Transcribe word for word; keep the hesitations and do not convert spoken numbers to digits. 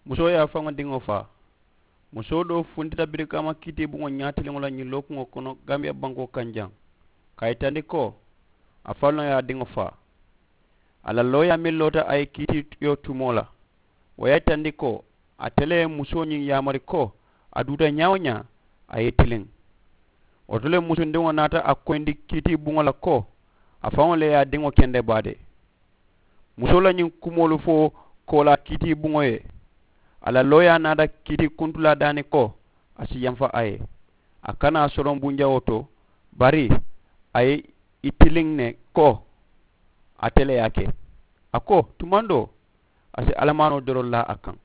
Musoo ye a faŋo diŋo faa. Musoo doo funtita birikaama kiitiibuŋo ñaatiliŋo la ñiŋ lookuŋo kono gambiya bankoo kaŋ jaŋ, ka a yitandi ko a faŋo ye a diŋo faa. A la looyaa meŋ loota a ye kiitiyo tumoo la, wo ye a yitandi ko ate le ye musoo ñiŋ yaamari ko a duuta ñaa-wo-ñaa a ye i tiliŋ. Wo to le musundiŋo naata a koyindi kiitiibuŋo la ko a faŋo le ye a diŋo kende baade. Musoo la ñiŋ kumoolu fo koolaa kiitiibuŋo ye, a la looyaa naata kiitii kuntulaa daani ko a si yamfa a ye, a kana a soloŋ bunjawoo to, bari a ye i tiliŋ ne ko ate le ye a ke. A ko tumandoo a si alamaanoo doroŋ laa a kaŋ.